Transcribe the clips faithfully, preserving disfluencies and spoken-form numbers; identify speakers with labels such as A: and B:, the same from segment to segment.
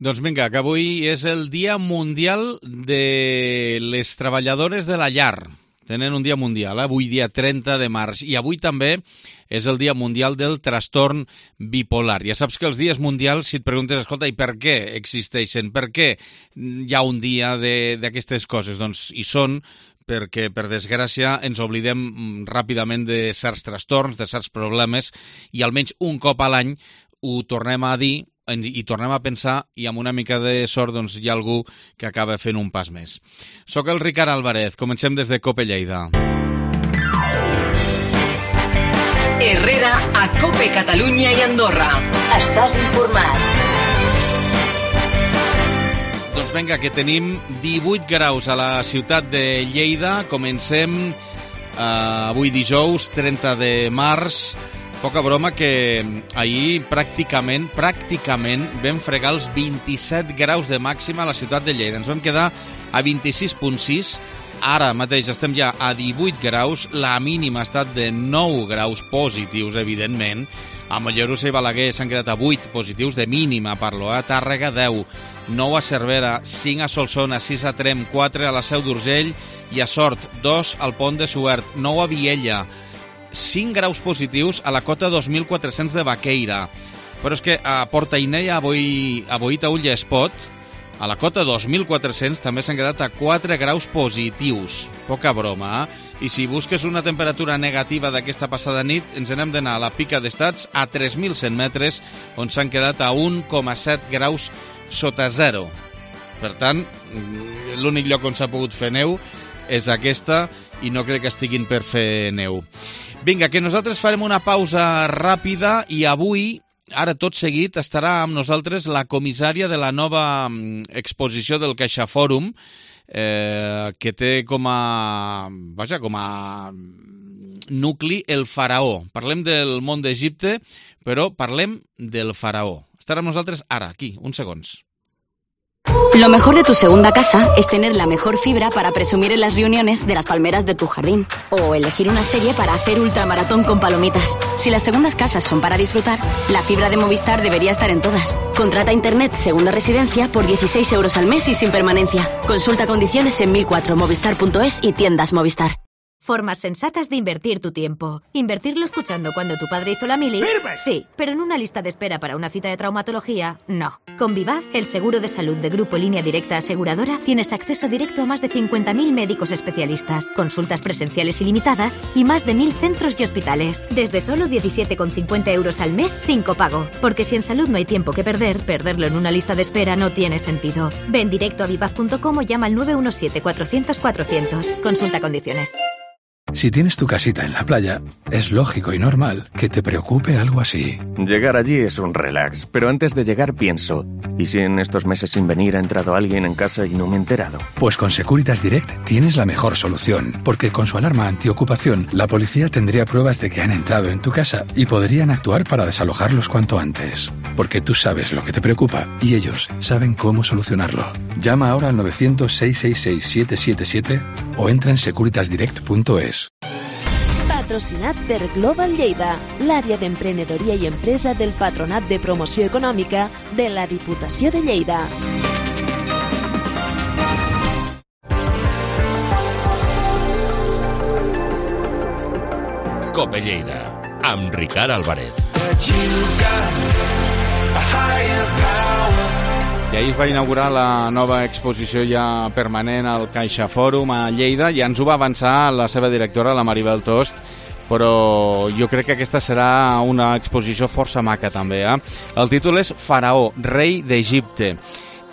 A: Doncs vinga, que avui és el Dia Mundial de les Treballadores de la Llar. Tenen un dia mundial, eh? Avui dia trenta de març. I avui també és el Dia Mundial del Trastorn Bipolar. Ja saps que els dies mundials, si et preguntes, escolta, i per què existeixen? Per què hi ha un dia d'aquestes coses? Doncs hi són perquè, per desgràcia, ens oblidem ràpidament de certs trastorns, de certs problemes, i almenys un cop a l'any ho tornem a dir i tornem a pensar, i amb una mica de sort doncs, hi ha algú que acaba fent un pas més. Soc el Ricard Álvarez, comencem des de COPE Lleida.
B: Herrera a COPE Catalunya i Andorra. Estàs informat.
A: Doncs vinga, que tenim divuit graus a la ciutat de Lleida. Comencem eh, avui dijous, trenta de març. Poca broma que ahir pràcticament, pràcticament vam fregar els vint-i-set graus de màxima a la ciutat de Lleida. Ens vam quedar a vint-i-sis coma sis, ara mateix estem ja a divuit graus, la mínima ha estat de nou graus positius, evidentment. A Mollerussa i Balaguer s'han quedat a vuit positius de mínima, parlo, a Tàrrega deu, nou a Cervera, cinc a Solsona, sis a Trem, quatre a la Seu d'Urgell i a Sort, dos al Pont de Suert, nou a Viella, cinc graus positius a la cota dos mil quatre-cents de Baqueira. Però és que a Portainei, a, Boi, a Boita Ull i Espot, a la cota dos mil quatre-cents també s'han quedat a quatre graus positius. Poca broma, eh? I si busques una temperatura negativa d'aquesta passada nit, ens n'hem d'anar a la Pica d'Estats, a tres mil cent metres, on s'han quedat a un coma set graus sota zero. Per tant, l'únic lloc on s'ha pogut fer neu és aquesta, i no crec que estiguin per fer neu. Vinga, que nosaltres farem una pausa ràpida i avui, ara tot seguit, estarà amb nosaltres la comissària de la nova exposició del CaixaForum, eh, que té com a, vaja, com a nucli el faraó. Parlem del món d'Egipte, però parlem del faraó. Estarà amb nosaltres ara, aquí, uns segons.
C: Lo mejor de tu segunda casa es tener la mejor fibra para presumir en las reuniones de las palmeras de tu jardín. O elegir una serie para hacer ultramaratón con palomitas. Si las segundas casas son para disfrutar, la fibra de Movistar debería estar en todas. Contrata Internet Segunda Residencia por dieciséis euros al mes y sin permanencia. Consulta condiciones en mil cuatro movistar punto es y tiendas Movistar.
D: Formas sensatas de invertir tu tiempo. Invertirlo escuchando cuando tu padre hizo la mili.
E: ¡Firme!
D: Sí, pero en una lista de espera para una cita de traumatología, no. Con Vivaz, el seguro de salud de Grupo Línea Directa Aseguradora, tienes acceso directo a más de cincuenta mil médicos especialistas, consultas presenciales ilimitadas y más de mil centros y hospitales. Desde solo diecisiete con cincuenta euros al mes sin copago. Porque si en salud no hay tiempo que perder, perderlo en una lista de espera no tiene sentido. Ven directo a vivaz punto com o llama al nueve uno siete cuatrocientos cuatrocientos. Consulta condiciones.
F: Si tienes tu casita en la playa, es lógico y normal que te preocupe algo así.
G: Llegar allí es un relax, pero antes de llegar pienso, ¿y si en estos meses sin venir ha entrado alguien en casa y no me he enterado?
F: Pues con Securitas Direct tienes la mejor solución, porque con su alarma antiocupación, la policía tendría pruebas de que han entrado en tu casa y podrían actuar para desalojarlos cuanto antes. Porque tú sabes lo que te preocupa y ellos saben cómo solucionarlo. Llama ahora al novecientos, seiscientos sesenta y seis, siete siete siete o entra en securitas direct punto es.
H: Patrocinat per Global Lleida, l'àrea d'emprenedoria i empresa del Patronat de Promoció Econòmica de la Diputació de Lleida.
I: COPE Lleida, amb Ricard Álvarez.
A: I ahir es va inaugurar la nova exposició ja permanent al CaixaForum a Lleida. Ja ens ho va avançar la seva directora, la Maribel Tost, però jo crec que aquesta serà una exposició força maca també. Eh? El títol és Faraó, rei d'Egipte.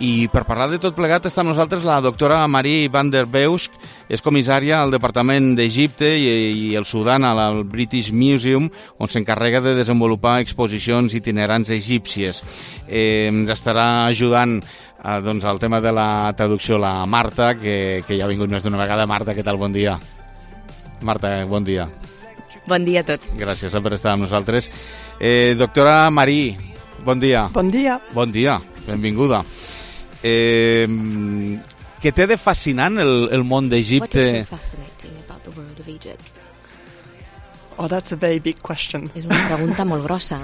A: I per parlar de tot plegat està amb nosaltres la doctora Marie van der Beusk, és comissària al Departament d'Egipte i, i el Sudan al British Museum, on s'encarrega de desenvolupar exposicions itinerants egípcies. Eh, ens estarà ajudant eh, doncs, al tema de la traducció la Marta, que, que ja ha vingut més d'una vegada. Marta, què tal? Bon dia. Marta, bon dia.
J: Bon dia a tots.
A: Gràcies per estar amb nosaltres. Eh, doctora Marie, bon dia.
J: Bon dia.
A: Bon dia, benvinguda. Eh, què té de fascinant el, el món d'Egipte?
J: What is so fascinating about the world of Egypt? Oh, that's a very big question.
K: És una pregunta molt grossa.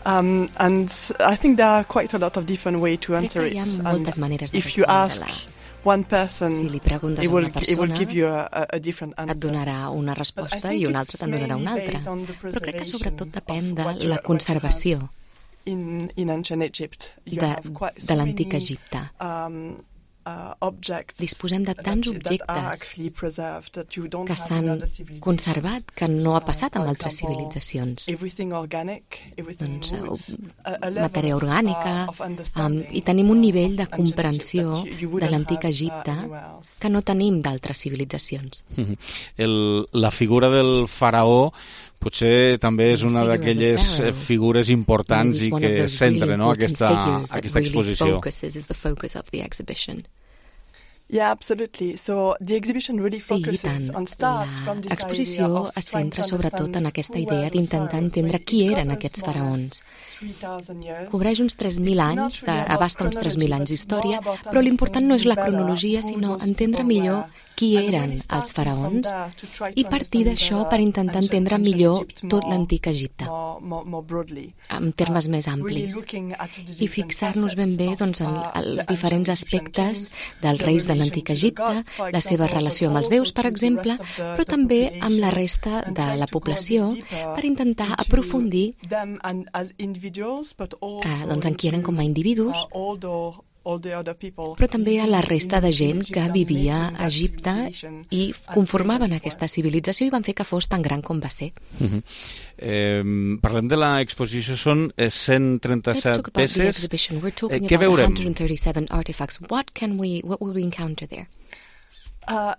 E: Um, and I think there are quite a lot of different ways to answer it.
J: Crec que hi ha moltes maneres de
E: if you ask
J: respondre-la.
E: one person,
J: Si li preguntes
E: it
J: a
E: will,
J: una
E: it will
J: persona,
E: give you a, a different answer.
J: et donarà una resposta i un altre te'n donarà una altra. Però crec que sobretot depèn de la conservació
E: in, in ancient Egypt. You
J: de,
E: have quite
J: de
E: so
J: l'antic
E: many,
J: Egipte.
E: Um, uh, objects
J: Disposem de tants
E: that, that are
J: objectes
E: actually preserved that you don't
J: que
E: have in
J: s'han
E: other civilizations.
J: conservat, que no ha passat
E: Uh,
J: amb
E: for
J: altres
E: example,
J: civilitzacions.
E: Everything organic, everything
J: Doncs,
E: woods,
J: uh,
E: a, a level
J: matèria
E: of,
J: orgànica,
E: uh, of
J: um,
E: understanding
J: i tenim un nivell de
E: of ancient Egypt
J: comprensió
E: that you- you
J: de
E: wouldn't
J: l'antic
E: have, uh,
J: Egipte
E: anywhere else.
J: que no tenim d'altres civilizacions.
A: El, la figura del faraó potser també és una
J: figure of the
A: d'aquelles
J: pharaoh
A: figures importants
J: Maybe
A: i
J: it's one of
A: que
J: those
A: centra
J: really
A: no,
J: important
A: aquesta,
J: figures that
A: aquesta
J: really
A: exposició.
J: focuses, is the focus of the exhibition.
E: Yeah, absolutely. So the exhibition really
J: Sí, i
E: focuses
J: tant.
E: on starts from this idea
J: L'exposició
E: of
J: es
E: trying
J: centra
E: to
J: sobretot
E: understand
J: en aquesta
E: who
J: idea
E: were the
J: d'intentar
E: pharaohs.
J: entendre
E: So
J: qui
E: it
J: eren
E: covers
J: aquests
E: more or
J: faraons.
E: less three thousand years.
J: Cobreix uns tres mil
E: It's
J: anys,
E: not
J: de,
E: really about
J: abasta uns tres mil anys
E: chronology,
J: d'història,
E: but more about
J: però l'important no és la
E: understanding
J: cronologia,
E: better
J: sinó
E: who those
J: entendre
E: people
J: millor
E: were.
J: qui
E: And
J: eren
E: really
J: els
E: starting
J: faraons
E: from there to try
J: i
E: to
J: partir d'això
E: understand
J: per
E: the
J: intentar
E: ancient-
J: entendre
E: ancient
J: millor
E: Egypt
J: tot
E: more-
J: l'antic Egipte,
E: more- more- more broadly.
J: en termes més
E: Uh, really
J: amplis,
E: looking at the
J: i
E: different
J: fixar-nos ben bé
E: facets
J: doncs, en
E: of, uh,
J: els
E: the
J: diferents
E: ancient Egyptian
J: aspectes
E: kings,
J: dels
E: the
J: reis de
E: relation
J: l'antic
E: to the
J: Egipte,
E: gods, for
J: la seva
E: example,
J: relació amb
E: but
J: els déus,
E: also
J: per
E: to the
J: exemple,
E: rest of the-
J: però
E: the
J: també amb la
E: population,
J: resta
E: and
J: de
E: try
J: la
E: to go a bit
J: població
E: deeper
J: per intentar
E: into
J: aprofundir
E: them and as individuals, but also
J: eh, doncs, en qui eren com a
E: into,
J: individus,
E: uh, all the- all the other people
J: però també a la
E: in-
J: resta de
E: in
J: gent
E: Egypt
J: que
E: and
J: vivia
E: making
J: a
E: that
J: Egipte
E: civilization
J: i
E: as
J: conformaven
E: great as
J: aquesta civilització i van fer que fos tan gran com va ser.
A: Uh -huh. eh, parlem de l'exposició, són eh, cent
J: Let's
A: trenta-set
J: talk about the
A: peces.
J: exhibition. We're talking
A: Eh, què
J: about
A: veurem?
J: one hundred thirty-seven artifacts. What can we, what will we encounter there?
E: Uh,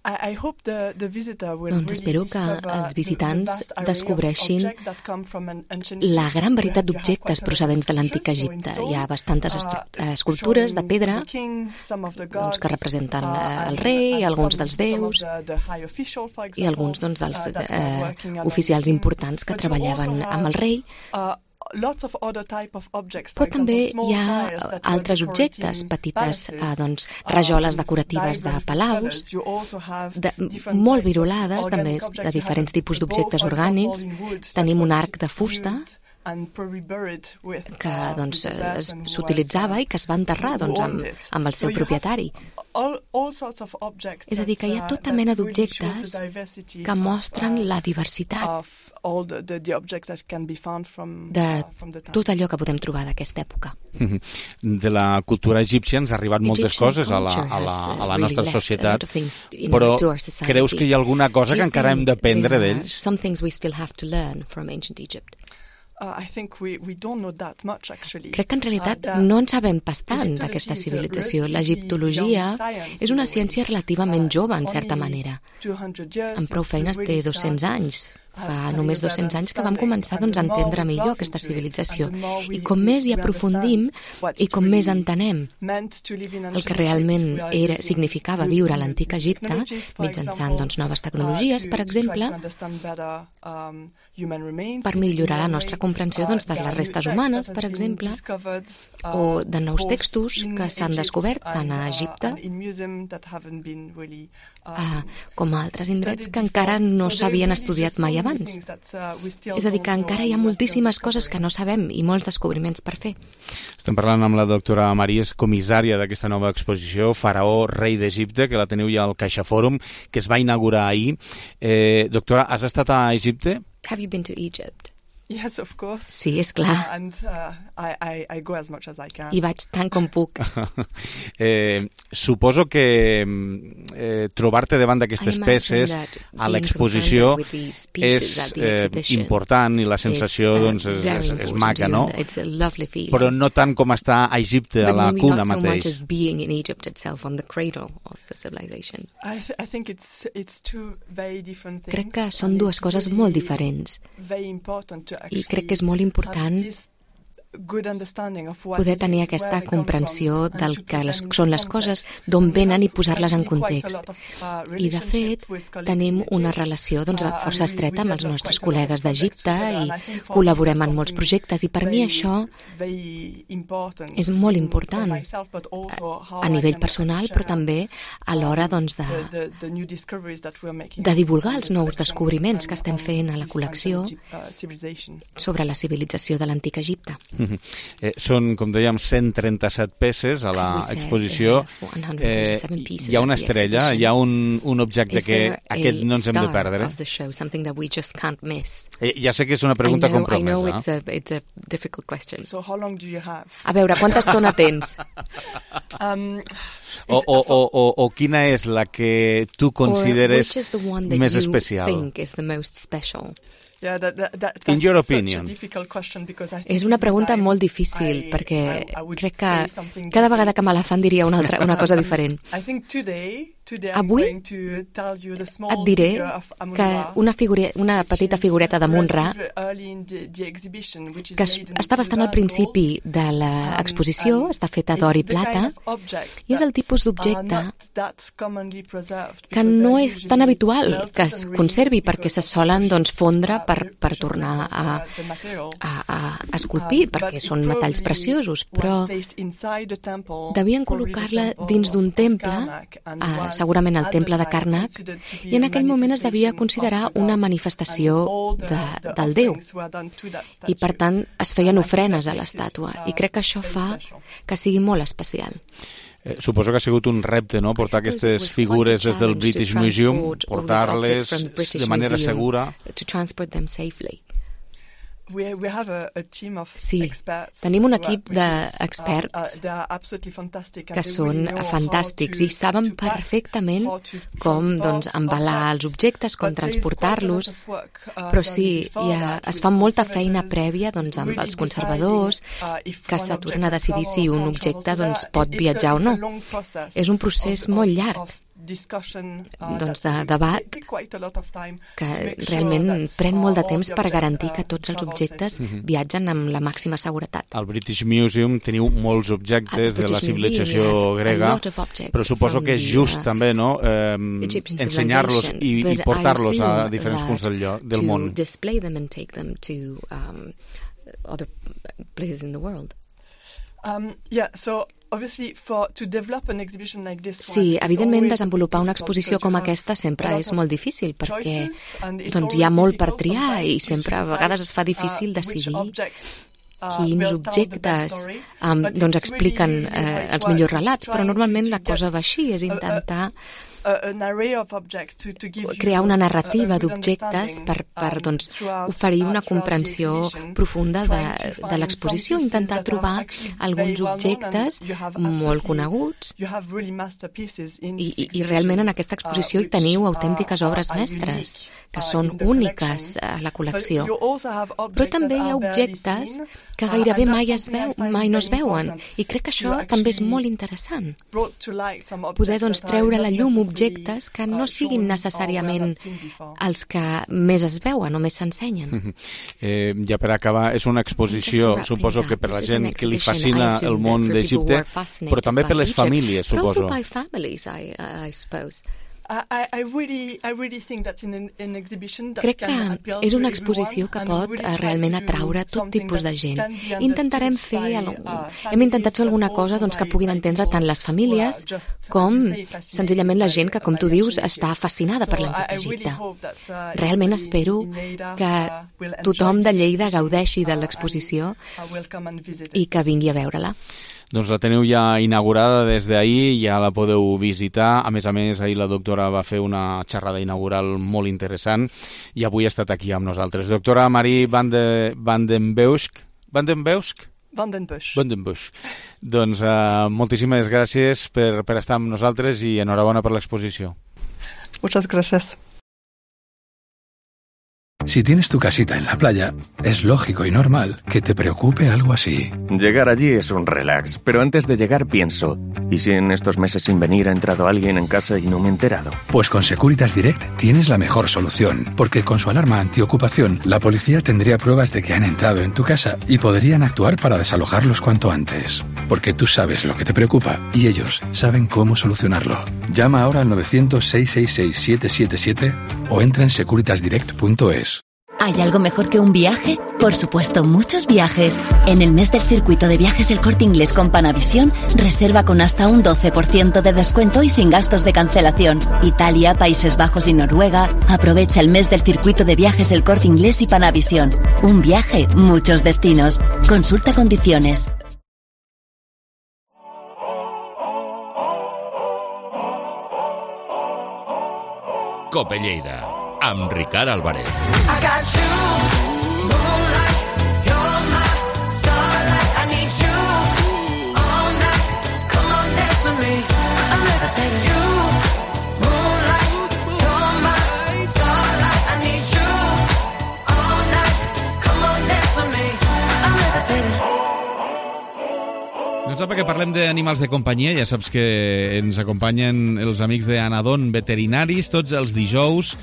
E: I, I hope the, the visitor will
J: Doncs
E: really
J: espero que
E: discover
J: els visitants
E: the- the vast array of
J: descobreixin
E: objects that come from an ancient
J: la
E: Egypt,
J: gran
E: where
J: varietat
E: you have
J: d'objectes
E: quite a lot of
J: procedents de l'antic
E: sculptures, so
J: Egipte.
E: in stone,
J: Hi ha bastantes
E: uh,
J: estru- escultures de
E: showing
J: pedra
E: the king, some of the
J: doncs,
E: gods,
J: que representen
E: uh,
J: eh, el
E: and-
J: rei,
E: and
J: alguns
E: some-
J: dels
E: some of
J: déus
E: the- the high official, for
J: i
E: example,
J: alguns doncs, dels
E: uh, that were
J: eh,
E: working along
J: oficials
E: the king.
J: importants que
E: But you
J: treballaven
E: also
J: amb el
E: have,
J: rei,
E: uh, lots of other type of objects, for
J: però també
E: example,
J: hi
E: small
J: ha
E: tiles that were
J: altres objectes,
E: decorating
J: petites eh,
E: palaces,
J: doncs, rajoles
E: um,
J: decoratives de
E: dyed with
J: palaus,
E: colours. You also have
J: de,
E: different
J: molt
E: types of
J: virolades, també
E: organic
J: de
E: objects. You
J: diferents
E: have
J: tipus
E: a bow,
J: d'objectes
E: for
J: orgànics.
E: example, in wood that
J: Tenim un
E: was
J: arc de fusta
E: used and probably buried with,
J: que
E: uh,
J: doncs,
E: with the person who
J: s'utilitzava
E: was, uh,
J: i que es va enterrar
E: who
J: doncs,
E: owned
J: amb,
E: it.
J: amb el
E: So
J: seu
E: you have
J: propietari.
E: all, all sorts of objects
J: És a dir, que hi ha
E: that, uh,
J: tota
E: that
J: mena
E: really shows the
J: d'objectes
E: diversity
J: que
E: of,
J: mostren
E: uh,
J: la diversitat
E: of all the, the, the objects that can be found from,
J: de
E: uh, from the time.
J: tot allò que podem trobar d'aquesta època.
A: De la cultura egípcia ens ha arribat moltes
J: Egyptian
A: coses a la, a
J: culture
A: la,
J: has, uh,
A: a la
J: really
A: nostra
J: left a
A: societat,
J: lot of things in
A: però
J: our- to our society.
A: creus que hi ha alguna cosa
J: Do
A: que
J: you
A: encara hem
J: think
A: d'aprendre
J: there are
A: d'ells?
J: some things we still have to learn from ancient Egypt?
E: Uh, I think we, we don't know that much, actually.
J: Crec que en realitat
E: Uh, the-
J: no en sabem pas tant
E: Egyptology
J: d'aquesta
E: is a
J: civilització.
E: relatively
J: L'egiptologia
E: young science
J: és
E: in
J: una
E: a way.
J: ciència relativament
E: Uh,
J: jove, en
E: it's
J: certa
E: only
J: manera.
E: two hundred years
J: Amb prou
E: since we
J: feines té
E: really
J: dos-cents
E: started
J: anys. Fa
E: having
J: només
E: better
J: dos-cents anys que vam començar doncs, a
E: understanding, and the
J: entendre
E: more we
J: millor
E: delve
J: aquesta
E: into it,
J: civilització.
E: and the more we-
J: I com més hi
E: we
J: aprofundim
E: understand what
J: i com
E: it
J: més
E: really
J: entenem
E: meant to live in
J: el
E: ancient
J: que realment
E: Egypt, we are
J: era,
E: using
J: significava
E: new-
J: viure a
E: new
J: l'antic Egipte,
E: technologies, for
J: mitjançant
E: example,
J: doncs, noves
E: uh,
J: tecnologies,
E: to-
J: per
E: to try
J: exemple,
E: to understand better, um, human remains
J: per
E: in-
J: millorar la
E: in a
J: nostra
E: way.
J: comprensió doncs, de
E: Uh, there
J: les
E: are
J: restes
E: new
J: humanes,
E: texts that
J: per
E: has been
J: exemple,
E: discovered, uh,
J: o de nous
E: both
J: textos
E: in
J: que s'han
E: Egypt
J: descobert tant a
E: and, uh,
J: Egipte
E: and in museum that haven't been really, um,
J: ah, com a altres indrets
E: studied
J: que encara
E: before.
J: no
E: So there
J: s'havien
E: really
J: estudiat
E: just so
J: mai
E: many
J: abans.
E: things that, uh, we still
J: És a dir, que
E: don't
J: encara
E: know
J: hi ha
E: and we're still
J: moltíssimes coses
E: discovering.
J: que no sabem i molts descobriments per fer.
A: Estem parlant amb la doctora Maries, comissària d'aquesta nova exposició, Faraó, rei d'Egipte, que la teniu ja al CaixaForum, que es va inaugurar ahir. Eh, doctora, has estat a Egipte?
J: Have you been to Egypt?
E: Yes, of course.
J: Sí, és clar.
E: Uh, and uh, I, I, I go as much as I can.
J: I vaig tant com puc.
A: eh, suposo que eh, trobar-te davant d'aquestes
J: I imagine
A: peces
J: that
A: a
J: being
A: l'exposició
J: confronted with these pieces
A: és
J: at the
A: eh,
J: exhibition
A: important i la sensació
J: is, uh,
A: doncs, és,
J: very
A: és, és
J: important
A: maca,
J: to you,
A: no?
J: and it's a lovely feeling.
A: Però no tant com estar a Egipte, a
J: But
A: la
J: maybe
A: cuna
J: not so much
A: mateix.
J: as being in Egypt itself, on the cradle of the civilization.
E: I, th I think it's it's two very different things.
J: Crec que són
E: and
J: dues
E: it's
J: coses
E: really
J: molt diferents
E: very important to
J: i crec que és
E: actually
J: molt important
E: have this
J: poder tenir aquesta comprensió del que les, són les coses, d'on venen i posar-les en context. I, de fet, tenim una relació doncs, força estreta amb els nostres col·legues d'Egipte i col·laborem en molts projectes, i per mi això és molt important a nivell personal, però també a l'hora doncs, de, de divulgar els nous descobriments que estem fent a la col·lecció sobre la civilització de l'antic Egipte.
A: Eh, són, com dèiem, cent trenta-set peces a l'exposició. Eh, hi ha una estrella, hi ha un, un objecte que aquest no ens hem de perdre. Eh, ja sé que és una pregunta compromesa.
J: A veure, quanta estona tens?
A: O, o, o, o, o quina és la que tu consideres més especial?
E: Yeah, that, that, that,
A: In your opinion.
J: És una pregunta molt difícil, I, perquè I, I crec que cada vegada que me la fan diria una, altra, una cosa diferent. Avui et diré que una, figure, una petita figureta de Munra, que està bastant al principi de l'exposició, està feta d'or i plata, i és el tipus d'objecte que no és tan habitual que es conservi, perquè se solen doncs, fondre per, per tornar a, a, a esculpir, perquè són metalls preciosos, però devien col·locar-la dins d'un temple, a, segurament el temple de Karnak, i en aquell moment es devia considerar una manifestació de, del déu. I per tant es feien ofrenes a l'estàtua, i crec que això fa que sigui molt especial.
A: Eh, suposo que ha sigut un repte, no?, portar aquestes figures des del British Museum, portar-les de manera segura.
J: Sí, tenim un equip d'experts que són fantàstics i saben perfectament com doncs, embalar els objectes, com transportar-los, però sí, ha, es fa molta feina prèvia doncs, amb els conservadors que s'aturen a decidir si un objecte doncs, pot viatjar o no. És un procés molt llarg. Doncs de debat que realment pren molt de temps per garantir que tots els objectes viatgen amb la màxima seguretat.
A: Al British Museum teniu molts objectes de la civilització grega, però suposo que és just també, no?, eh, ensenyar-los i, i portar-los a diferents punts del, lloc, del món.
J: Display them and take them to um, other places in the world.
E: Um, yeah, so
J: Sí, evidentment desenvolupar una exposició com aquesta sempre és molt difícil perquè doncs, hi ha molt per triar i sempre a vegades es fa difícil decidir quins objectes um, doncs, expliquen eh, els millors relats, però normalment la cosa va així, és intentar crear una narrativa d'objectes per, per doncs, oferir una comprensió profunda de, de l'exposició, intentar trobar alguns objectes molt coneguts i, i, i realment en aquesta exposició hi teniu autèntiques obres mestres que són úniques a la col·lecció, però també hi ha objectes que gairebé mai, es veu, mai no es veuen i crec que això també és molt interessant, poder doncs, treure a la llum objectes que no siguin necessàriament els que més es veuen o més s'ensenyen.
A: Eh, ja per acabar, és una exposició, suposo que per la gent que li fascina el món d'Egipte, però també per les famílies, suposo.
J: Crec que és una exposició que pot realment atraure tot tipus de gent. Intentarem fer, hem intentat fer alguna cosa doncs, que puguin entendre tant les famílies com senzillament la gent que, com tu dius, està fascinada per l'antic Egipte. Realment espero que tothom de Lleida gaudeixi de l'exposició i que vingui a veure-la.
A: Doncs la teniu ja inaugurada des d'ahir, ja la podeu visitar. A més a més, ahir la doctora va fer una xerrada inaugural molt interessant i avui ha estat aquí amb nosaltres. Doctora Marie van, de, van den Beusk. Van den Beusk?
E: Van den Busch.
A: Van den Busch. Doncs uh, moltíssimes gràcies per, per estar amb nosaltres i enhorabona per l'exposició.
E: Muchas gracias.
F: Si tienes tu casita en la playa, es lógico y normal que te preocupe algo así.
G: Llegar allí es un relax, pero antes de llegar pienso, ¿y si en estos meses sin venir ha entrado alguien en casa y no me he enterado?
F: Pues con Securitas Direct tienes la mejor solución, porque con su alarma antiocupación, la policía tendría pruebas de que han entrado en tu casa y podrían actuar para desalojarlos cuanto antes. Porque tú sabes lo que te preocupa y ellos saben cómo solucionarlo. Llama ahora al novecientos, seiscientos sesenta y seis, siete siete siete o entra en securitas direct punto es.
K: ¿Hay algo mejor que un viaje? Por supuesto, muchos viajes. En el mes del circuito de viajes El Corte Inglés con Panavisión, reserva con hasta un doce por ciento de descuento y sin gastos de cancelación. Italia, Países Bajos y Noruega. Aprovecha el mes del circuito de viajes El Corte Inglés y Panavisión. Un viaje, muchos destinos. Consulta condiciones.
I: Cope Lleida, amb Ricard Álvarez.
A: No sap que parlem d'animals de companyia, ja saps que ens acompanyen els amics d'Anadon Veterinaris tots els dijous,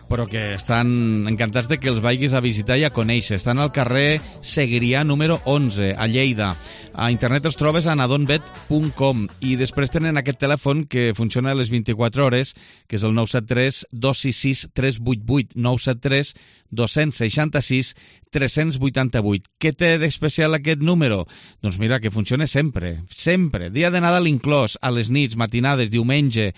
A: però que estan encantats de que els vagis a visitar i a conèixer. Estan al carrer Segrià número onze, a Lleida. A internet els trobes a anadonvet punt com i després tenen aquest telèfon que funciona a les vint-i-quatre hores, que és el nou set tres, dos sis sis, tres vuit vuit, nou set tres, dos sis sis, tres vuit vuit. Què té d'especial aquest número? Doncs mira, que funciona sempre, sempre. Dia de Nadal inclòs, a les nits, matinades, diumenge,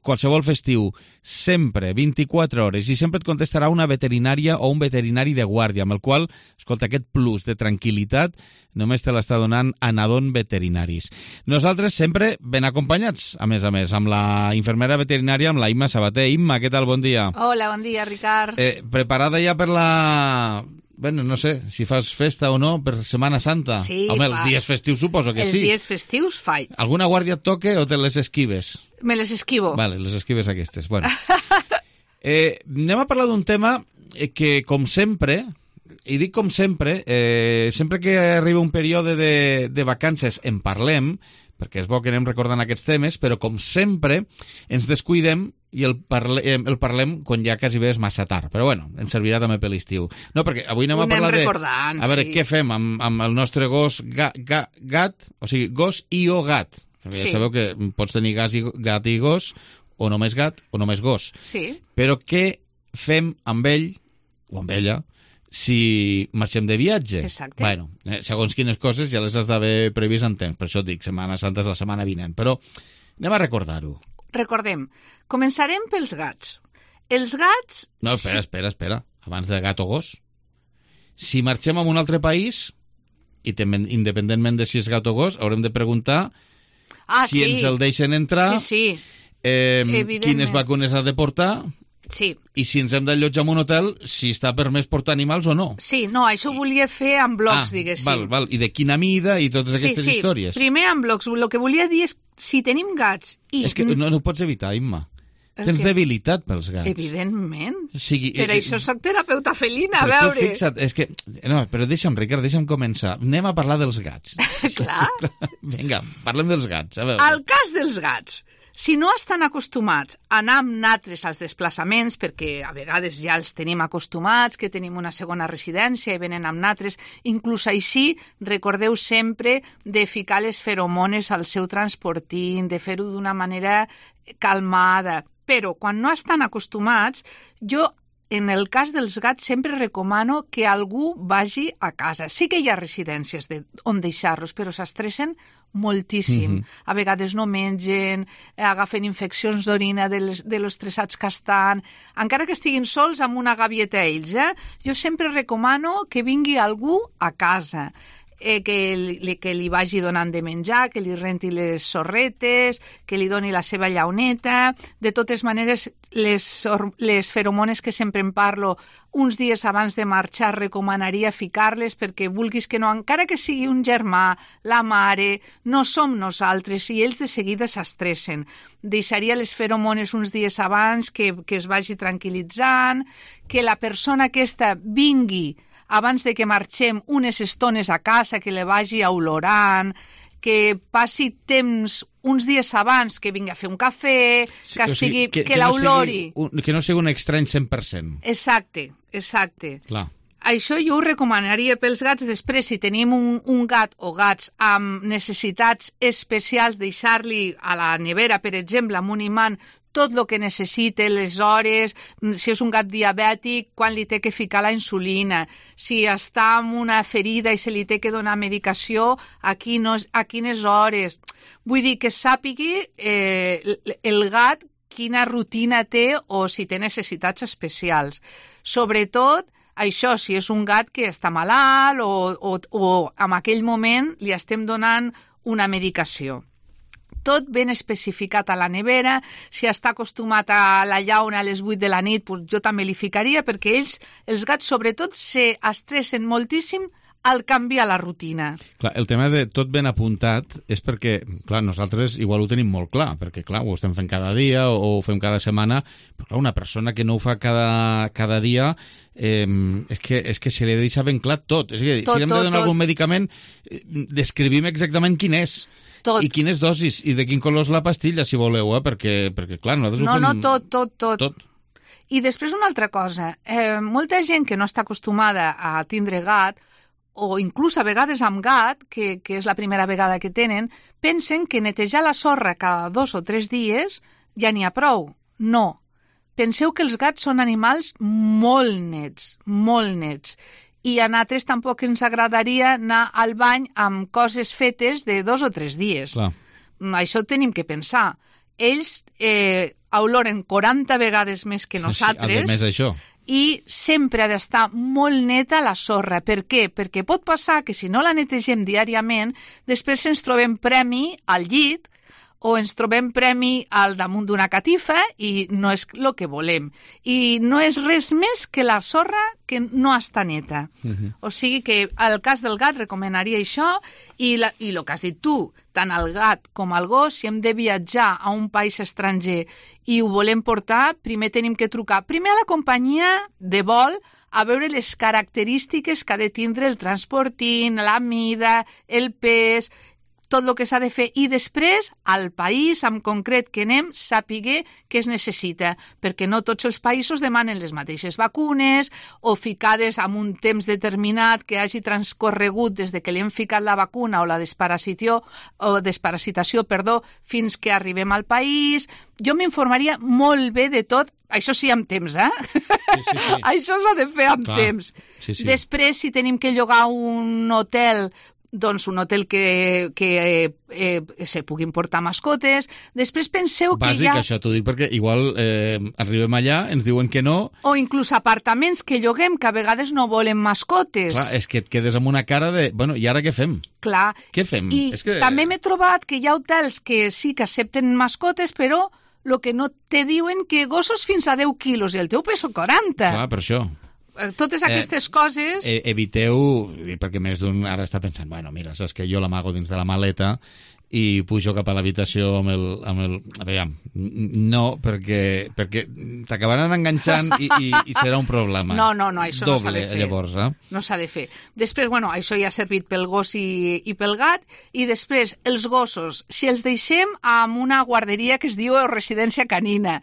A: qualsevol festiu, sempre, vint-i-quatre hores, i sempre et contestarà una veterinària o un veterinari de guàrdia, amb el qual, escolta, aquest plus de tranquil·litat només te l'està donant Anadon Veterinaris. Nosaltres sempre ben acompanyats, a més a més, amb la infermera veterinària, amb la Imma Sabater. Imma, què tal? Bon dia.
L: Hola, bon dia, Ricard.
A: Eh, preparada ja per la... Bueno, no sé, si fas festa o no, per Setmana Santa.
L: Sí,
A: Home,
L: fa...
A: els dies festius suposo que
L: els
A: sí.
L: Els dies festius faig.
A: Alguna guàrdia et toque o te les esquives?
L: Me les esquivo.
A: Vale, les esquives aquestes. Bueno. eh, anem a parlar d'un tema que, com sempre... I dic com sempre, eh, sempre que arriba un període de, de vacances en parlem, perquè és bo que anem recordant aquests temes, però com sempre ens descuidem i el, parle, el parlem quan ja quasi bé és massa tard. Però bueno, ens servirà també per l'estiu. No, perquè avui anem a parlar de... A veure, sí. Què fem amb, amb el nostre gos ga, ga, gat, o sigui, gos i o gat. Perquè ja sí. Sabeu que pots tenir gat i, gat i gos, o només gat, o només gos.
L: Sí.
A: Però què fem amb ell, o amb ella, si marxem de viatge?
L: Exacte.
A: Bueno, eh, segons quines coses ja les has d'haver previst en temps, per això et dic, Setmana Santa és la setmana vinent, però anem a recordar-ho.
L: Recordem, començarem pels gats. Els gats...
A: No, espera, espera, espera, abans de gat o gos. Si marxem a un altre país, i també, independentment de si és gat o gos, haurem de preguntar
L: ah,
A: si
L: sí.
A: ens el deixen entrar,
L: sí, sí.
A: Eh, quines vacunes ha de portar...
L: Sí.
A: I si ens hem d'allotjar en un hotel, si està permès portar animals o no.
L: Sí, no, això ho volia fer en blocs, ah, diguéssim.
A: Val, val. I de quina mida i totes
L: sí,
A: aquestes
L: sí.
A: històries.
L: Primer en blocs. El que volia dir és si tenim gats i...
A: És que no, no ho pots evitar, Imma. El Tens que... debilitat pels gats.
L: Evidentment.
A: O sigui,
L: per
A: eh,
L: això soc terapeuta felina, a
A: veure.
L: Però tu
A: fixa't, és que... No, però deixa'm, Ricard, deixa'm començar. Anem a parlar dels gats.
L: Clar.
A: Vinga, parlem dels gats. A veure.
L: El cas dels gats. Si no estan acostumats a anar amb natres als desplaçaments, perquè a vegades ja els tenim acostumats, que tenim una segona residència i venen amb natres, inclús així, recordeu sempre de ficar les feromones al seu transportín, de fer-ho d'una manera calmada. Però quan no estan acostumats, jo, en el cas dels gats, sempre recomano que algú vagi a casa. Sí que hi ha residències de, on deixar-los, però s'estressen moltíssim. Mm-hmm. A vegades no mengen, agafen infeccions d'orina de, les, de los estressats que estan, encara que estiguin sols amb una gavieta ells. Eh? Jo sempre recomano que vingui algú a casa. eh, que, li, que li vagi donant de menjar, que li renti les sorretes, que li doni la seva llauneta. De totes maneres, les, les feromones que sempre en parlo, uns dies abans de marxar recomanaria ficar-les perquè vulguis que no, encara que sigui un germà, la mare, no som nosaltres i ells de seguida s'estressen. Deixaria les feromones uns dies abans que, que es vagi tranquil·litzant, que la persona aquesta vingui abans de que marxem unes estones a casa, que le vagi olorant, que passi temps uns dies abans, que vingui a fer un cafè, sí, que, estigui, o sigui, que, que, que l'olori.
A: No que no sigui un estrany cent per cent.
L: Exacte, exacte.
A: Clar.
L: Això jo ho recomanaria pels gats. Després, si tenim un, un gat o gats amb necessitats especials, deixar-li a la nevera, per exemple, amb un imant, tot el que necessite, les hores, si és un gat diabètic, quan li té que ficar la insulina, si està amb una ferida i se li té que donar medicació, a, quines, a quines hores. Vull dir que sàpigui eh, el gat quina rutina té o si té necessitats especials. Sobretot, això, si és un gat que està malalt o, o, o en aquell moment li estem donant una medicació. Tot ben especificat a la nevera. Si està acostumat a la llauna a les vuit de la nit, doncs jo també li ficaria, perquè ells, els gats, sobretot, s'estressen moltíssim al canviar la rutina.
A: Clar, el tema de tot ben apuntat és perquè, clar, nosaltres igual ho tenim molt clar, perquè, clar, ho estem fent cada dia o ho fem cada setmana, però, clar, una persona que no ho fa cada, cada dia, eh, és, que, és que se li deixa ben clar tot. És a dir, tot, si li hem de donar tot, algun tot. medicament, descrivim exactament quin és. Tot. I quines dosis, i de quin color és la pastilla, si voleu, eh? perquè, perquè clar, nosaltres
L: no,
A: ho fem...
L: No, no, tot, tot, tot.
A: tot.
L: I després una altra cosa, eh, molta gent que no està acostumada a tindre gat, o inclús a vegades amb gat, que, que és la primera vegada que tenen, pensen que netejar la sorra cada dos o tres dies ja n'hi ha prou. No. Penseu que els gats són animals molt nets, molt nets. I a nosaltres tampoc ens agradaria anar al bany amb coses fetes de dos o tres dies.
A: Clar.
L: Això tenim que pensar. Ells eh, oloren quaranta vegades més que nosaltres.
A: Sí, a més això.
L: I sempre ha d'estar molt neta la sorra. Per què? Perquè pot passar que si no la netegem diàriament, després ens trobem premi al llit o ens trobem premi al damunt d'una catifa i no és el que volem. I no és res més que la sorra que no està neta. Uh-huh. O sigui que al cas del gat recomanaria això i, la, i el que has dit tu, tant el gat com el gos, si hem de viatjar a un país estranger i ho volem portar, primer tenim que trucar primer a la companyia de vol a veure les característiques que ha de tindre el transportint, la mida, el pes, tot el que s'ha de fer, i després al país en concret que anem sàpiga què es necessita, perquè no tots els països demanen les mateixes vacunes o ficades amb un temps determinat que hagi transcorregut des de que li hem ficat la vacuna o la desparasitació, o desparasitació perdó, fins que arribem al país. Jo m'informaria molt bé de tot, això sí amb temps, eh?
A: Sí, sí, sí.
L: Això s'ha de fer amb
A: Clar.
L: temps.
A: Sí, sí.
L: Després, si tenim que llogar un hotel, doncs un hotel que, que eh, eh, se puguin portar mascotes. Després penseu
A: Bàsic,
L: que hi ha...
A: això t'ho dic perquè igual eh, arribem allà, ens diuen que no...
L: O inclús apartaments que lloguem que a vegades no volen mascotes.
A: Clar, és que et quedes amb una cara de... Bueno, i ara què fem?
L: Clar.
A: Què fem?
L: I
A: és que...
L: també m'he trobat que hi ha hotels que sí que accepten mascotes, però el que no te diuen que gossos fins a deu quilos i el teu peso quaranta.
A: Clar, per això.
L: Totes aquestes
A: eh,
L: coses...
A: Eh, eviteu, perquè més d'un ara està pensant, bueno, mira, saps que jo l'amago dins de la maleta i pujo cap a l'habitació amb el... Amb el... Aviam, no, perquè, perquè t'acabaran enganxant i, i, i serà un problema.
L: No, no, no, això
A: Doble,
L: no s'ha de fer.
A: Llavors, eh?
L: No s'ha de fer. Després, bueno, això ja ha servit pel gos i, i pel gat, i després, els gossos, si els deixem amb una guarderia que es diu residència canina,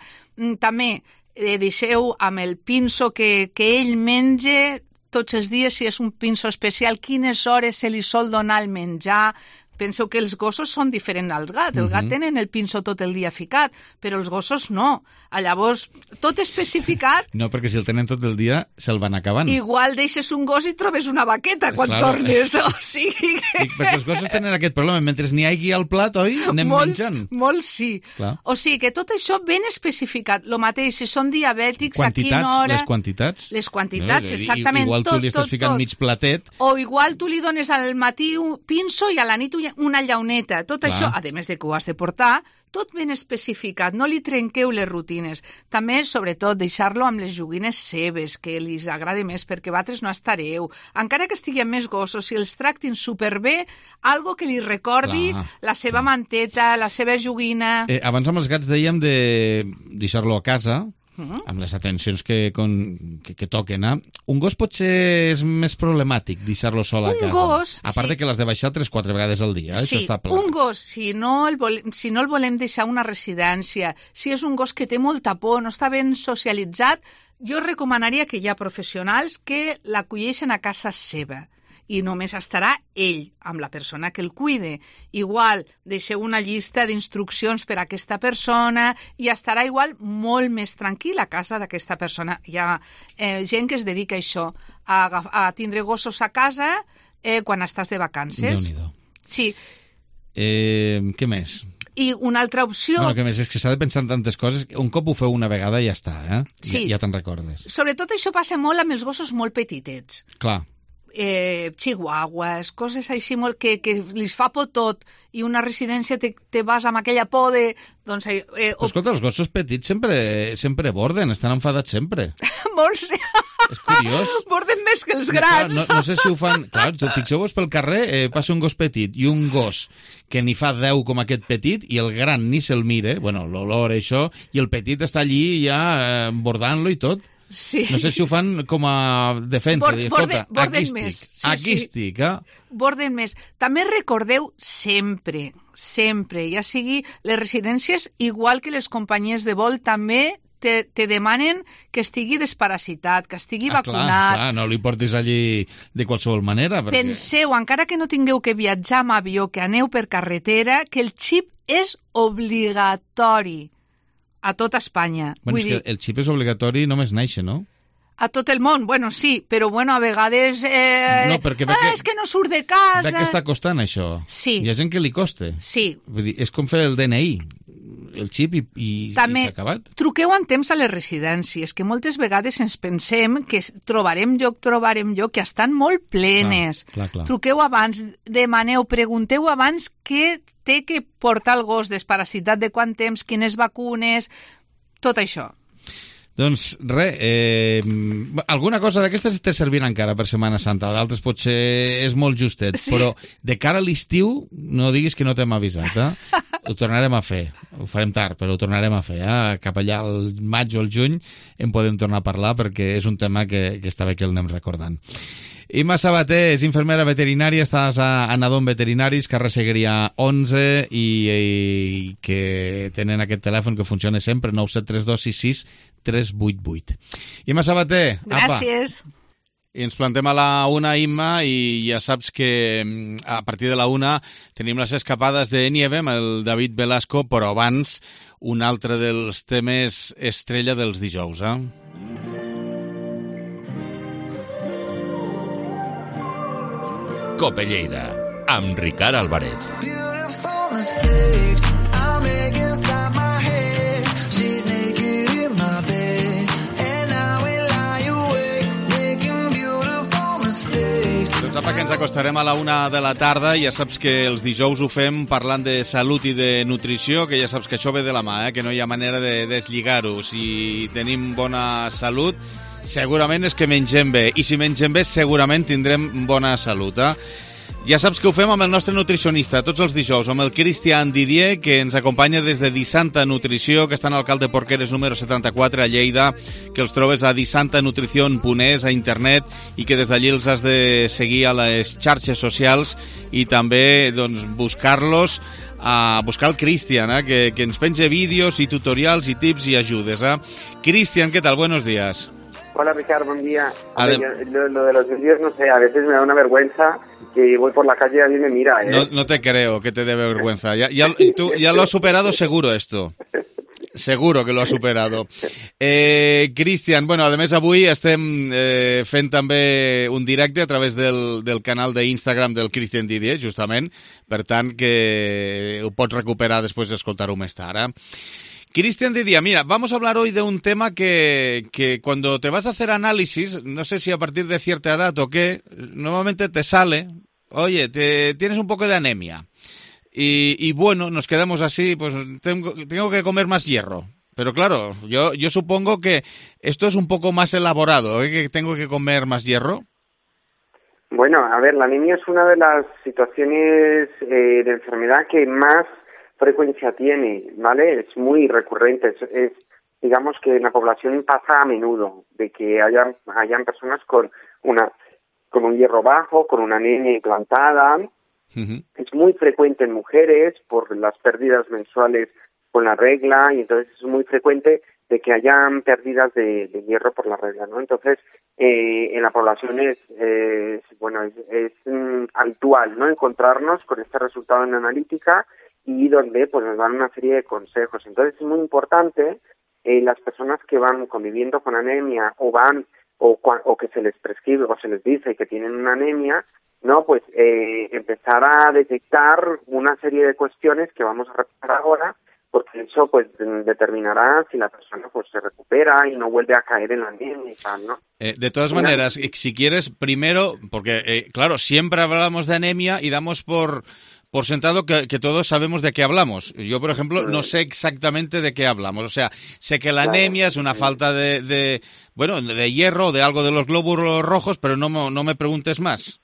L: també eh, deixeu amb el pinso que, que ell menja tots els dies, si és un pinso especial, quines hores se li sol donar el menjar, Penseu que els gossos són diferents al gat. El gat
A: Mhm.
L: tenen el pinso tot el dia ficat, però els gossos no. Llavors, tot especificat.
A: No, perquè si el tenen tot el dia, se'l van acabant.
L: Igual deixes un gos i trobes una vaqueta quan
A: Claro.
L: tornes. O sigui que...
A: Dic, perquè els gossos tenen aquest problema. Mentre n'hi hagi al plat, oi? Anem
L: molts,
A: menjant.
L: molts sí.
A: Clar.
L: O sigui que tot això ben especificat. Lo mateix, si són diabètics, a quina
A: Quantitats,
L: hora...
A: les quantitats.
L: Les quantitats,
A: No, i-
L: exactament.
A: Igual tu
L: tot,
A: li estàs
L: tot,
A: ficant
L: tot.
A: mig platet.
L: O igual tu li dones al matí un pinso i a la nit una llauneta. Tot
A: Clar.
L: això, a més de que ho has de portar, tot ben especificat. No li trenqueu les rutines. També, sobretot, deixar-lo amb les joguines seves, que li agrada més, perquè vosaltres no estareu. Encara que estigui amb més gossos, si els tractin superbé, algo que li recordi
A: Clar,
L: la seva manteta, la seva joguina...
A: Eh, abans amb els gats dèiem de deixar-lo a casa,
L: Mhm.
A: amb les atencions que, con, que, que toquen. Eh? Un gos potser és més problemàtic deixar-lo sol a
L: Un
A: casa.
L: gos,
A: A part
L: sí.
A: de que l'has de baixar tres quatre vegades al dia. Eh?
L: Sí,
A: Això està clar.
L: un gos, si no, el volem, si no el volem deixar a una residència, si és un gos que té molta por, no està ben socialitzat, jo recomanaria que hi ha professionals que l'acolleixen a casa seva i només estarà ell, amb la persona que el cuide. Igual, deixeu una llista d'instruccions per a aquesta persona i estarà igual molt més tranquil a casa d'aquesta persona. Hi ha eh, gent que es dedica a això, a, agaf- a tindre gossos a casa eh, quan estàs de vacances.
A: Déu-n'hi-do.
L: Sí,
A: Eh, què més?
L: i una altra opció,
A: Bueno, què més? És que s'ha de pensar en tantes coses. Un cop ho feu una vegada i ja està, eh?
L: Sí.
A: Ja, ja te'n recordes.
L: sobretot això passa molt amb els gossos molt petitets.
A: Clar.
L: Eh, chihuahuas, coses així molt que, que li fa por tot i una residència te, te vas amb aquella por de... Doncs, eh, eh,
A: Però escolta, els gossos petits sempre, sempre borden, estan enfadats sempre.
L: molts
A: És curiós.
L: borden més que els
A: No,
L: grans.
A: clar, no, no sé si ho fan... Clar, tu fixeu-vos pel carrer, eh, passa un gos petit i un gos que ni fa deu com aquest petit i el gran ni se'l mire, bueno, l'olor, això, i el petit està allí ja eh, bordant-lo i tot.
L: Sí.
A: No sé si ho fan com a defensa.
L: Bord-
A: dir,
L: borden-
A: escolta,
L: borden
A: aquí
L: més.
A: estic,
L: Sí,
A: aquí
L: sí.
A: estic, eh?
L: Borden més. També recordeu sempre, sempre, ja sigui les residències, igual que les companyies de vol, també te, te demanen que estigui desparasitat, que estigui
A: Ah, clar,
L: vacunat.
A: clar, no li portis allí de qualsevol manera. Perquè...
L: Penseu, encara que no tingueu que viatjar amb avió, que aneu per carretera, que el xip és obligatori a tota Espanya.
A: Bueno,
L: Vull
A: és
L: dir,
A: que el xip és obligatori només néixer, no?
L: a tot el món, bueno, sí, però bueno, a vegades... Eh,
A: No, perquè ve
L: ah,
A: que-
L: és que no surt de casa...
A: De què està costant, això?
L: Sí.
A: Hi ha gent que li costa.
L: Sí.
A: Vull dir, és com fer el D N I, el xip i, i,
L: També
A: i s'ha acabat.
L: truqueu en temps a les residències, que moltes vegades ens pensem que s- trobarem lloc, trobarem lloc, que estan molt plenes.
A: Clar, clar, clar.
L: Truqueu abans, demaneu, pregunteu abans què té que portar el gos, desparasitat de quant temps, quines vacunes, tot això.
A: Doncs res, eh, alguna cosa d'aquestes te servirà encara per Setmana Santa, d'altres potser és molt justet,
L: Sí.
A: però de cara a l'estiu no diguis que no t'hem avisat, eh? Ho tornarem a fer, ho farem tard, però ho tornarem a fer, eh? Cap allà al maig o al juny en podem tornar a parlar perquè és un tema que, que està bé que el anem recordant. Imma Sabater és infermera veterinària, estàs a, a Nadon Veterinaris, carrer Segueria onze, i, i que tenen aquest telèfon que funciona sempre, nou set tres dos sis sis tres vuit vuit. Imma Sabater, apa.
L: Gràcies.
A: I ens plantem a la una, Imma, i ja saps que mm, a partir de la una tenim les escapades de Nieve amb el David Velasco, però abans un altre dels temes estrella dels dijous, eh?
I: Cope Lleida, amb Ricard Álvarez.
A: Doncs apa, que ens acostarem a la una de la tarda. Ja saps que els dijous ho fem parlant de salut i de nutrició, que ja saps que això ve de la mà, eh? Que no hi ha manera de deslligar-ho. Si tenim bona salut, segurament és que mengem bé. I si mengem bé, segurament tindrem bona salut, eh? Ja saps que ho fem amb el nostre nutricionista tots els dijous, amb el Cristian Didier, que ens acompanya des de Disanta Nutrició, que està en Alcalde Porqueres número setanta-quatre a Lleida, que els trobes a disantanutricion punt es a internet i que des d'allí els has de seguir a les xarxes socials i també doncs, buscar-los, a buscar el Cristian, eh, que, que ens penja vídeos i tutorials i tips i ajudes. Eh? Cristian, què tal? Buenos días.
M: Hola, Ricardo, buen día.
A: Adem-
M: Ver, lo, lo de los vídeos, no sé, a veces me da una vergüenza que voy por la calle y alguien me mira, ¿eh?
A: No, no te creo que te dé vergüenza. Ya, ya, tú, ya lo has superado seguro esto. Seguro que lo has superado. Eh, Cristian, bueno, a més avui estem eh, fent també un directe a través del, del canal d'Instagram del Cristian Didier, justament, per tant que ho pots recuperar després d'escoltar-ho més tard. Eh? Cristian Didier, mira, vamos a hablar hoy de un tema que, que cuando te vas a hacer análisis, no sé si a partir de cierta edad o qué, normalmente te sale, oye, te, tienes un poco de anemia. Y, y bueno, nos quedamos así, pues tengo, tengo que comer más hierro. Pero claro, yo, yo supongo que esto es un poco más elaborado, ¿eh? Que tengo que comer más hierro.
M: Bueno, a ver, la anemia es una de las situaciones eh, de enfermedad que más frecuencia tiene, ¿vale? Es muy recurrente, es, es digamos que en la población pasa a menudo, de que hayan, hayan personas con una con un hierro bajo, con una anemia implantada. Uh-huh. Es muy frecuente en mujeres por las pérdidas mensuales con la regla, y entonces es muy frecuente de que hayan pérdidas de, de hierro por la regla, ¿no? Entonces, eh, en la población es, eh, bueno, es, es mm, habitual, ¿no?, encontrarnos con este resultado en analítica y donde pues nos dan una serie de consejos. Entonces es muy importante eh, las personas que van conviviendo con anemia o van o, o que se les prescribe o se les dice que tienen una anemia, no, pues eh, empezar a detectar una serie de cuestiones que vamos a repetir ahora, porque eso pues determinará si la persona pues se recupera y no vuelve a caer en la anemia y tal, ¿no?
A: Eh, de todas maneras, si quieres, primero, porque eh, claro, siempre hablamos de anemia y damos por por sentado que, que todos sabemos de qué hablamos. Yo, por ejemplo, no sé exactamente de qué hablamos. O sea, sé que la claro, anemia es una sí. falta de, de, bueno, de hierro, de algo de los glóbulos rojos, pero no, no me preguntes más.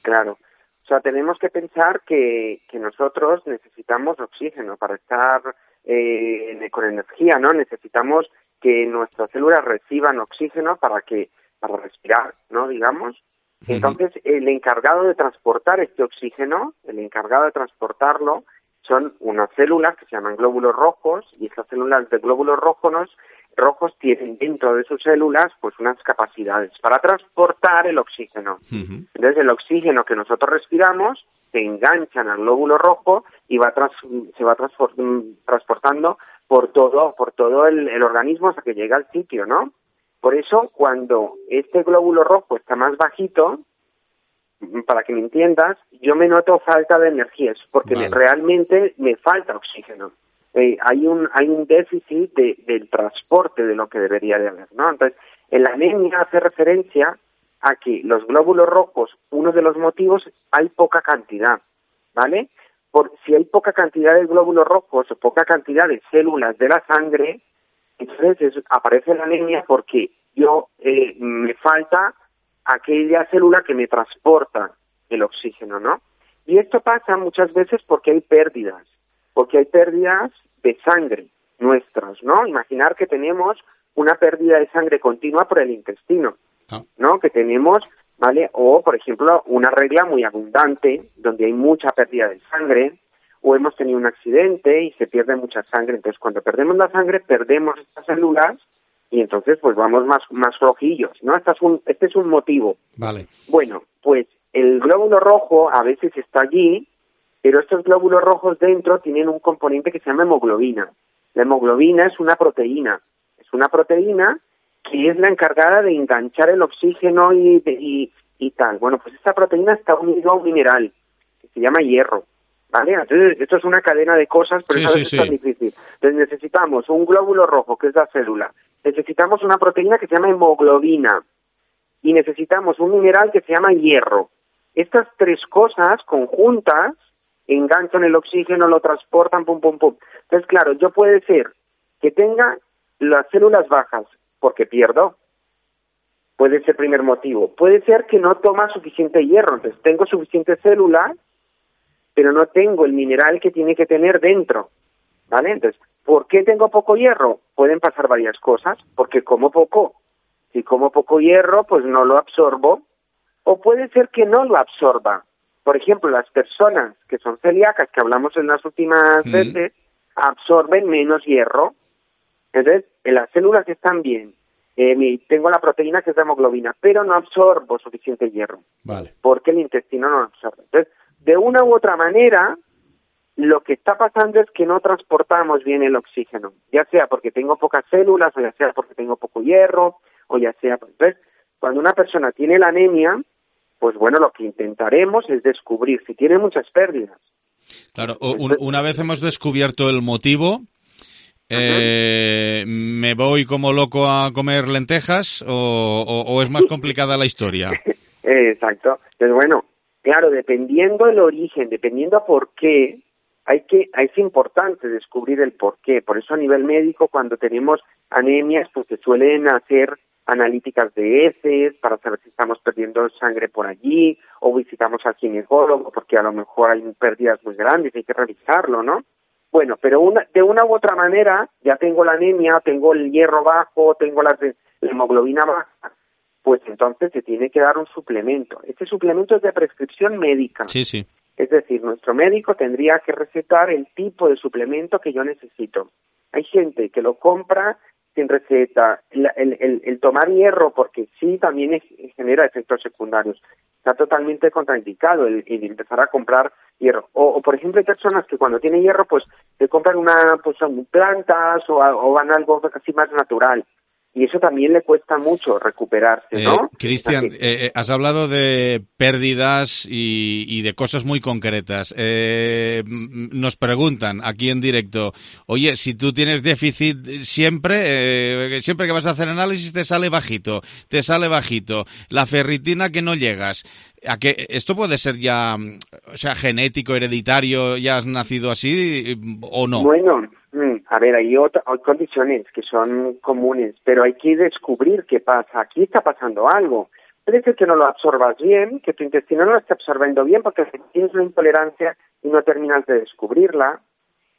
M: Claro. O sea, tenemos que pensar que, que nosotros necesitamos oxígeno para estar eh, con energía, ¿no? Necesitamos que nuestras células reciban oxígeno para que para respirar, ¿no? Digamos. Entonces, el encargado de transportar este oxígeno, el encargado de transportarlo, son unas células que se llaman glóbulos rojos, y estas células de glóbulos rojos, rojos tienen dentro de sus células pues unas capacidades para transportar el oxígeno. Uh-huh. Entonces, el oxígeno que nosotros respiramos se engancha en el glóbulo rojo y va tras, se va transport- transportando por todo, por todo el, el organismo hasta que llega al sitio, ¿no? Por eso, cuando este glóbulo rojo está más bajito, para que me entiendas, yo me noto falta de energía, es porque vale. me, realmente me falta oxígeno. Eh, hay un hay un déficit de, del transporte de lo que debería de haber, ¿no? Entonces, en la anemia hace referencia a que los glóbulos rojos, uno de los motivos, hay poca cantidad, ¿vale? Por si hay poca cantidad de glóbulos rojos o poca cantidad de células de la sangre, entonces es, aparece la anemia porque yo eh, me falta aquella célula que me transporta el oxígeno, ¿no? Y esto pasa muchas veces porque hay pérdidas, porque hay pérdidas de sangre nuestras, ¿no? Imaginar que tenemos una pérdida de sangre continua por el intestino, ¿no? Que tenemos, ¿vale? O, por ejemplo, una regla muy abundante, donde hay mucha pérdida de sangre, o hemos tenido un accidente y se pierde mucha sangre. Entonces, cuando perdemos la sangre, perdemos estas células y entonces pues vamos más más flojillos, ¿no? Este es un, este es un motivo.
A: Vale.
M: Bueno, pues el glóbulo rojo a veces está allí, pero estos glóbulos rojos dentro tienen un componente que se llama hemoglobina. La hemoglobina es una proteína, es una proteína que es la encargada de enganchar el oxígeno y, y, y tal. Bueno, pues esta proteína está unida a un mineral que se llama hierro. ¿Vale? Entonces, esto es una cadena de cosas, pero sí, a veces sí, es tan sí. difícil. Entonces, necesitamos un glóbulo rojo, que es la célula. Necesitamos una proteína que se llama hemoglobina. Y necesitamos un mineral que se llama hierro. Estas tres cosas conjuntas enganchan el oxígeno, lo transportan, pum, pum, pum. Entonces, claro, yo puede ser que tenga las células bajas, porque pierdo. Puede ser el primer motivo. Puede ser que no toma suficiente hierro. Entonces, tengo suficientes células, pero no tengo el mineral que tiene que tener dentro, ¿vale? Entonces, ¿por qué tengo poco hierro? Pueden pasar varias cosas, porque como poco. Si como poco hierro, pues no lo absorbo, o puede ser que no lo absorba. Por ejemplo, las personas que son celíacas, que hablamos en las últimas mm. veces, absorben menos hierro. Entonces, en las células están bien, eh, mi, tengo la proteína que es la hemoglobina, pero no absorbo suficiente hierro.
A: Vale.
M: Porque el intestino no lo absorbe. Entonces, de una u otra manera, lo que está pasando es que no transportamos bien el oxígeno, ya sea porque tengo pocas células, o ya sea porque tengo poco hierro, o ya sea... Entonces, cuando una persona tiene la anemia, pues bueno, lo que intentaremos es descubrir si tiene muchas pérdidas.
A: Claro, un, una vez hemos descubierto el motivo, eh, ¿me voy como loco a comer lentejas o, o, o es más complicada la historia?
M: Exacto. Entonces, bueno, claro, dependiendo del origen, dependiendo por qué, hay que, es importante descubrir el por qué. Por eso a nivel médico, cuando tenemos anemias, pues se suelen hacer analíticas de heces para saber si estamos perdiendo sangre por allí, o visitamos al ginecólogo porque a lo mejor hay pérdidas muy grandes, hay que revisarlo, ¿no? Bueno, pero una, de una u otra manera, ya tengo la anemia, tengo el hierro bajo, tengo la, la hemoglobina baja, pues entonces se tiene que dar un suplemento. Este suplemento es de prescripción médica.
A: Sí, sí.
M: Es decir, nuestro médico tendría que recetar el tipo de suplemento que yo necesito. Hay gente que lo compra sin receta. El, el, el, el tomar hierro, porque sí también es, genera efectos secundarios. Está totalmente contraindicado el, el empezar a comprar hierro. O, o, por ejemplo, hay personas que cuando tienen hierro, pues se compran una, pues son plantas o, o van a algo así más natural. Y eso también le cuesta mucho recuperarse, ¿no?
A: Eh, Cristian, eh, eh, has hablado de pérdidas y, y de cosas muy concretas. Eh, nos preguntan aquí en directo, oye, si tú tienes déficit siempre, eh, siempre que vas a hacer análisis te sale bajito, te sale bajito. La ferritina que no llegas. ¿A qué esto puede ser ya, o sea, genético, hereditario, ya has nacido así o no?
M: Bueno, a ver, hay, otra, hay condiciones que son comunes, pero hay que descubrir qué pasa. Aquí está pasando algo. Puede ser que no lo absorbas bien, que tu intestino no lo esté absorbiendo bien porque tienes una intolerancia y no terminas de descubrirla.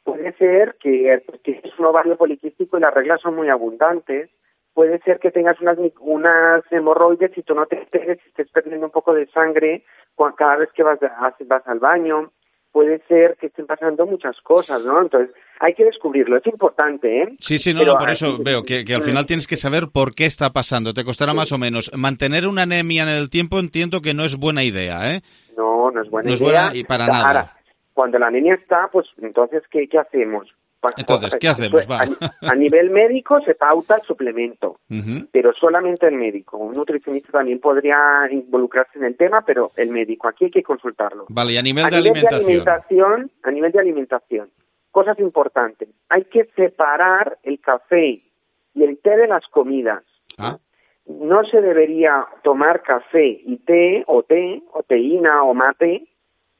M: Puede ser que tienes un ovario poliquístico y las reglas son muy abundantes. Puede ser que tengas unas, unas hemorroides y tú no te enteres y estés perdiendo un poco de sangre cada vez que vas, vas al baño. Puede ser que estén pasando muchas cosas, ¿no? Entonces, hay que descubrirlo. Es importante, ¿eh?
A: Sí, sí, no,
M: Pero,
A: no por eso veo que, que al final tienes que saber por qué está pasando. Te costará más o menos. Mantener una anemia en el tiempo entiendo que no es buena idea, ¿eh?
M: No, no es buena
A: no
M: idea.
A: No es buena y para nada.
M: Ahora, cuando la anemia está, pues entonces, ¿qué, qué hacemos?
A: Entonces, ¿qué hacemos? Va.
M: A, a nivel médico se pauta el suplemento,
A: uh-huh.
M: pero solamente el médico. Un nutricionista también podría involucrarse en el tema, pero el médico. Aquí hay que consultarlo.
A: Vale, y a nivel,
M: a
A: de,
M: nivel
A: alimentación?
M: de alimentación. A nivel de alimentación, cosas importantes. Hay que separar el café y el té de las comidas.
A: Ah.
M: No se debería tomar café y té, o té, o teína, o mate,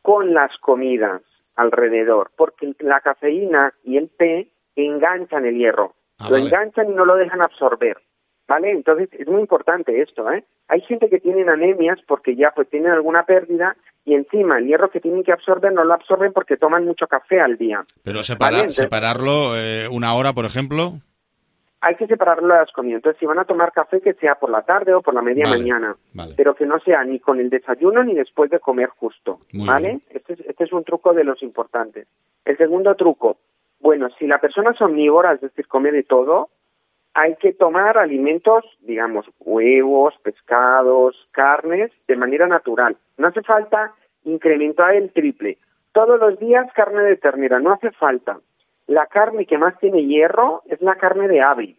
M: con las comidas alrededor, porque la cafeína y el té enganchan el hierro,
A: ah,
M: lo
A: vale.
M: enganchan y no lo dejan absorber, ¿vale? Entonces es muy importante esto, ¿eh? Hay gente que tiene anemias porque ya pues tienen alguna pérdida y encima el hierro que tienen que absorber no lo absorben porque toman mucho café al día.
A: Pero separa,
M: ¿vale? Entonces,
A: separarlo eh, una hora, por ejemplo.
M: Hay que separarlo de las comidas. Entonces, si van a tomar café, que sea por la tarde o por la media
A: vale,
M: mañana.
A: Vale.
M: Pero que no sea ni con el desayuno ni después de comer justo.
A: Muy
M: ¿Vale?
A: bien.
M: Este es, este es un truco de los importantes. El segundo truco. Bueno, si la persona es omnívora, es decir, come de todo, hay que tomar alimentos, digamos, huevos, pescados, carnes, de manera natural. No hace falta incrementar el triple. Todos los días carne de ternera, no hace falta. La carne que más tiene hierro es la carne de ave.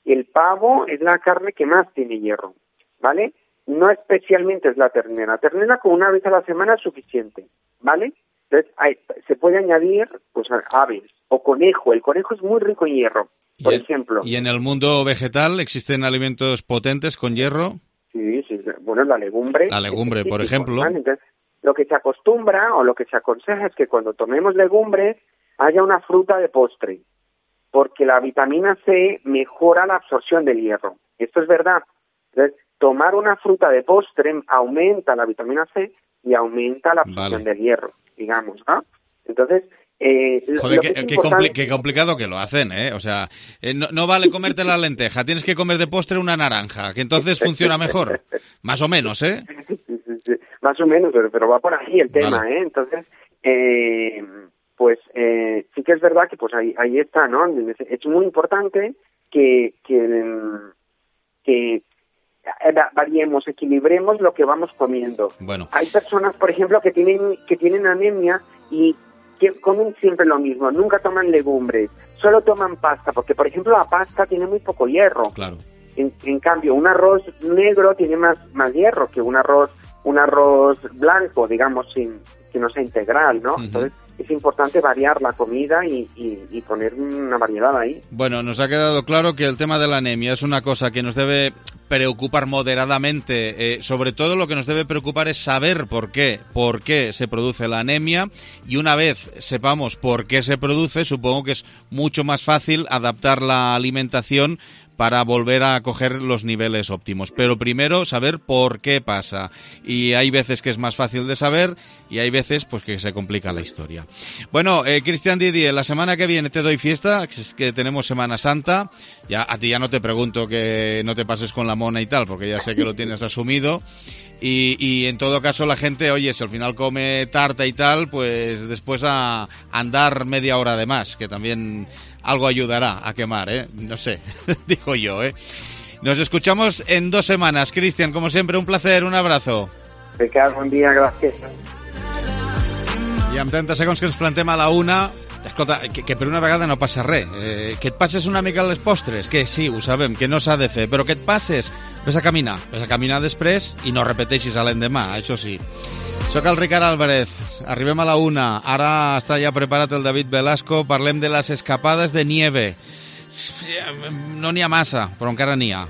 M: El pavo es la carne que más tiene hierro, ¿vale? No especialmente es la ternera. La ternera con una vez a la semana es suficiente, ¿vale? Entonces, hay, se puede añadir, pues, aves o conejo. El conejo es muy rico en hierro, por
A: ¿Y en,
M: ejemplo.
A: ¿Y en el mundo vegetal existen alimentos potentes con hierro?
M: Sí, sí. Bueno, la legumbre.
A: La legumbre, por ejemplo.
M: ¿Vale? Entonces, lo que se acostumbra o lo que se aconseja es que cuando tomemos legumbres haya una fruta de postre, porque la vitamina C mejora la absorción del hierro. Esto es verdad. Entonces, tomar una fruta de postre aumenta la vitamina C y aumenta la absorción
A: vale.
M: del hierro, digamos, ¿no? Entonces, eh,
A: Joder,
M: lo
A: qué,
M: que es
A: qué,
M: importante...
A: compli- qué complicado que lo hacen, ¿eh? O sea, eh, no, no vale comerte la lenteja, tienes que comer de postre una naranja, que entonces funciona mejor. Más o menos, ¿eh?
M: Sí, sí, sí. Más o menos, pero, pero va por ahí el tema,
A: Vale.
M: ¿eh? Entonces, eh, pues eh, sí que es verdad que pues ahí, ahí está, ¿no? Es muy importante que, que, que variemos, equilibremos lo que vamos comiendo.
A: Bueno.
M: Hay personas, por ejemplo, que tienen que tienen anemia y que comen siempre lo mismo, nunca toman legumbres, solo toman pasta, porque, por ejemplo, la pasta tiene muy poco hierro.
A: Claro.
M: En, en cambio, un arroz negro tiene más, más hierro que un arroz un arroz blanco, digamos, sin que no sea integral, ¿no? Uh-huh. Entonces, es importante variar la comida y, y, y poner una variedad ahí.
A: Bueno, nos ha quedado claro que el tema de la anemia es una cosa que nos debe preocupar moderadamente. Eh, sobre todo lo que nos debe preocupar es saber por qué, por qué se produce la anemia, y una vez sepamos por qué se produce, supongo que es mucho más fácil adaptar la alimentación para volver a coger los niveles óptimos. Pero primero saber por qué pasa. Y hay veces que es más fácil de saber y hay veces pues que se complica la historia. Bueno, eh, Cristian Didier, la semana que viene te doy fiesta, es que tenemos Semana Santa. Ya a ti ya no te pregunto que no te pases con la mona y tal, porque ya sé que lo tienes asumido. Y, y en todo caso la gente, oye, si al final come tarta y tal, pues después a andar media hora de más, que también algo ayudará a quemar, ¿eh? No sé, digo yo, ¿eh? Nos escuchamos en dos semanas. Cristian, como siempre, un placer, un abrazo.
M: Ricard, buen dia, gràcies.
A: I amb trenta segons que ens plantem a la una, escolta, que, que per una vegada no passa res. Eh, que et passes una mica les postres, que sí, ho sabem, que no s'ha de fer, però que et passes, ves a caminar, ves a caminar després i no repeteixis a l'endemà, això sí. Soc el Ricard Álvarez, arribem a la una, ara està ja preparat el David Velasco, parlem de les escapades de nieve. No n'hi ha massa, però encara n'hi ha.